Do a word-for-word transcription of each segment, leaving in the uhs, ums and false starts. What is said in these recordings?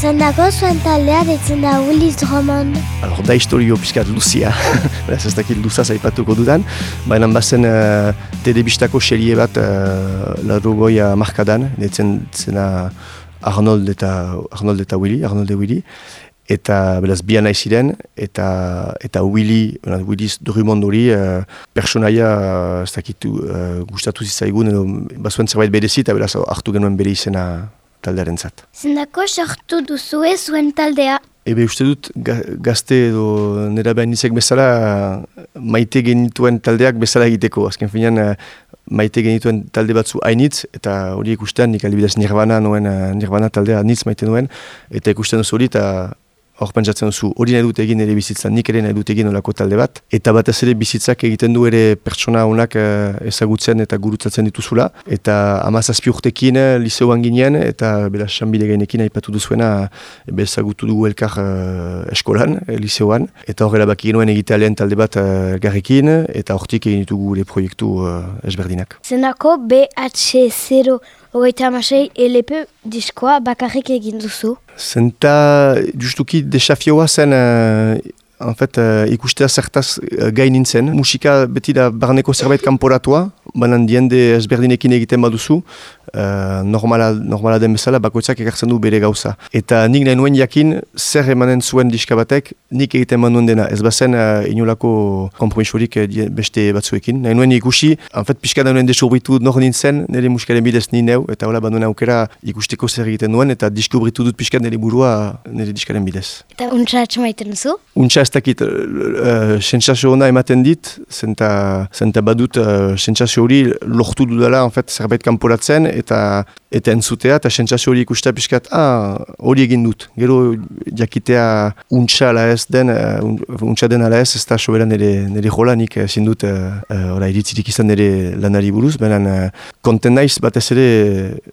Zendako zuen taldea deitzen da Willis Drummond. Alors, da historio pixkat luzia, beraz ez dakit luzaz aipatuko dudan, baina bazen uh, telebistako serie bat uh, laurogeita markadan, deitzen zena Arnold eta, Arnold eta Willy, Arnold eta Willy, eta beraz bi nahi ziren, eta, eta Willy, Willis Drummond hori, uh, personaia uh, ez dakitu uh, gustatu zitzaigun, edo bazuen zerbait berezi, eta beraz hartu genuen bere izena taldearen zat. Zendako sortu duzue zuen taldea? Ebe uste dut ga, gazte edo nera behan nizek bezala maite genituen taldeak bezala egiteko. Azken finean maite genituen talde batzu hainitz, eta hori ikusten nik alibidez Nirvana nuen, Nirvana taldea nitz maite nuen, eta ikusten duzu hori, eta hor pentsatzen duzu hori nahi dut egin ere bizitzan, nik ere nahi dut egin olako talde bat. Eta batez ere bizitzak egiten du ere pertsona honak ezagutzen eta gurutzatzen dituzula. Eta hamazazpi urtekin liseoan ginen, eta beraz Sanbide gainekin aipatu duzuena ezagutu dugu elkar uh, eskolan, uh, liseoan. Eta horrela baki genuen egitea lehen talde bat uh, garrekin, eta hortik egin ditugu gure proiektu uh, ezberdinak. Zendako B H zero hogeita hamasei L P diskoa bakarrik egin duzu? Zenta justuki desafioa zen uh, en fait, uh, ikustea zertaz uh, gai nintzen. Musika beti da barneko zerbait kanporatua, banan diende ezberdinekin egiten baduzu, uh, normala, normala den bezala bakoitzak ekartzen du bere gauza. Eta nik nahi nuen jakin zer emanen zuen diska batek, nik egiten manuen dena. Ez bazen uh, inolako kompromisorik uh, beste batzuekin. Nahi nuen ikusi, en fait, pixka nahi nuen deskubritu nor nintzen, nire musikaren bidez ni neu, eta hola banduen aukera ikusteko zer egiten nuen, eta deskubritu dut pixka nire burua nire diskaren bidez. Eta untsa atxamaiten duzu? Untsa ez dakit, uh, sensazio hona ematen dit, zenta, zenta badut uh, sensazio hori lortu dudala en fait, zerbait kanporatzen, eta eta entzutea, eta sentsazio hori ikustea pixkat, ah, hori egin dut. Gero jakitea untsa ala ez den, uh, untsa den ala ez, ez da soberan nire, nire jola, nik ezin dut uh, uh, iritzirik izan nire lanari buruz, benen uh, konten naiz batez ere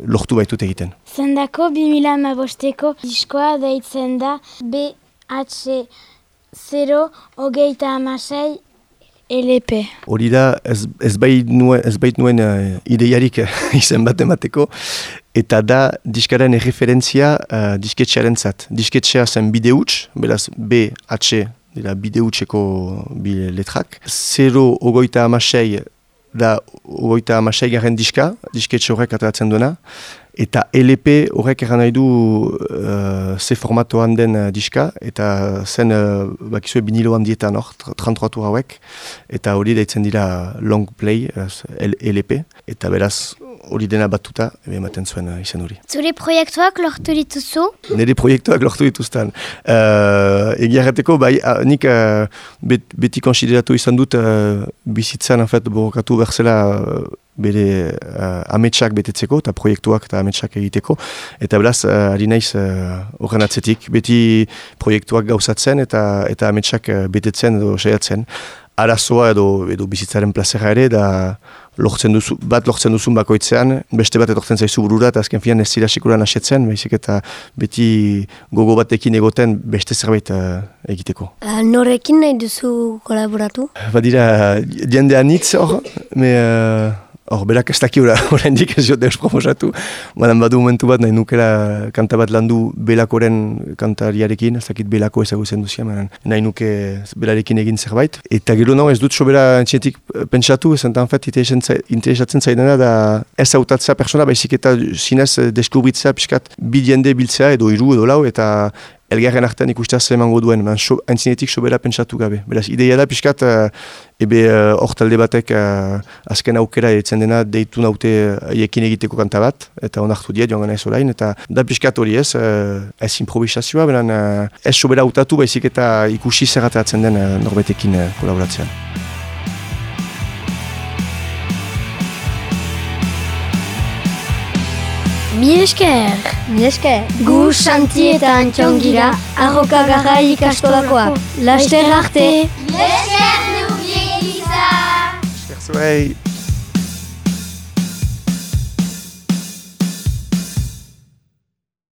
lortu baitut egiten. Zendako bi mila hamabosteko diskoa deitzen da B H zero hogeita hamasei L P. Hori da, ez, ez bait nuen, ez bait nuen uh, ideiarik izen bat emateko, eta da diskaren erreferentzia uh, disketxearen zat. Disketxea zen bide huts, beraz B H dira bide hutseko bi letrak. Zero hogeita hamasei da hogeita hamasei garen diska, disketxe horrek ateratzen duena. Eta L P horrek erran nahi du uh, ze formatoan den uh, diska, eta zen uh, bakizue biniloan dietan hor, trentatu hauek, eta hori deitzen dira long play, L P, eta beraz hori dena batuta, ematen zuen uh, izen hori. Zure proiektuak lortu dituzu? Nire proiektuak lortu dituzten. Uh, Egia errateko, bai, uh, nik uh, bet, beti konsideratu izan dut uh, bizitzan, en fait, borokatu berzela uh, bere uh, ametsak betetzeko, eta proiektuak eta ametsak egiteko. Eta beraz, uh, ari naiz horren uh, atzetik, beti proiektuak gauzatzen eta eta ametsak uh, betetzen edo saiatzen. Arazoa edo, edo bizitzaren plazera ere, da lortzen duzu, bat lortzen duzun bakoitzean, beste bat etortzen zaizu burura, eta azken fian ez zira sekuran asetzen, baizik eta beti gogo batekin egoten beste zerbait uh, egiteko. Uh, norekin nahi duzu kolaboratu? Badira, jende anitz hor, me... Uh, Hor, berak ez daki orain dik ez jote proposatu. Badan badu momentu bat nahi nukela kanta bat landu Belakoren kantariarekin, ez dakit Belako ezagutzen duzia, nahi nuke belarekin egin zerbait. Eta gero no, ez dut sobera entxetik pentsatu, ez enten fet interesatzen zaidana da ez hautatzea persona, baizik eta zinez deskubritzea pixkat bi jende biltzea edo hiru edo lau, eta elgarren artean ikustea zemango duen, haintzinetik so, sobera pentsatu gabe. Beraz, ideia da pixkat, uh, ebe hor uh, talde batek uh, azken aukera etzen dena deitu naute haiekin egiteko kanta bat, eta onartu diet joan gana ez orain, eta da pixkat hori ez, uh, ez improvisazioa, beran uh, ez sobera hautatu, baizik eta ikusi zerrateratzen den uh, norbetekin uh, kolaboratzean. Mi esker! Mi esker! Gu Santi eta Antxongira, Arroka Garrai ikastolakoak. Laster arte! Mi esker, Nubiek Iza! Esker zuei!